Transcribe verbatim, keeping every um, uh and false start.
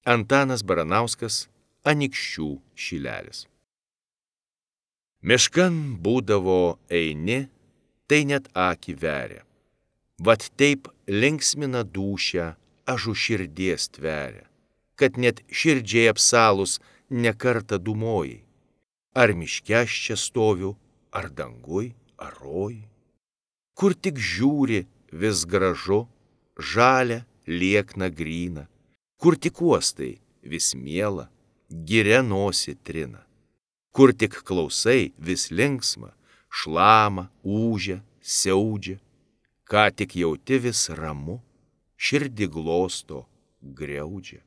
Antanas Baranauskas, Anykščių šilelis. Miškan būdavo eini, tai net akį veria. Vat taip linksmina dūšią, ažu širdies tveria, kad net širdžiai apsalus nekartą dūmojai. Ar miške aš čia stoviu, ar danguj, ar roj. Kur tik žiūri, vis gražu, žalia, liekna gryna. Kur tik uostai, vis miela, giria nosį trina. Kur tik klausai, vis linksma, šlama, ūžia, siaudžia. Ką tik jauti vis ramu, širdį glosto, griaudžia.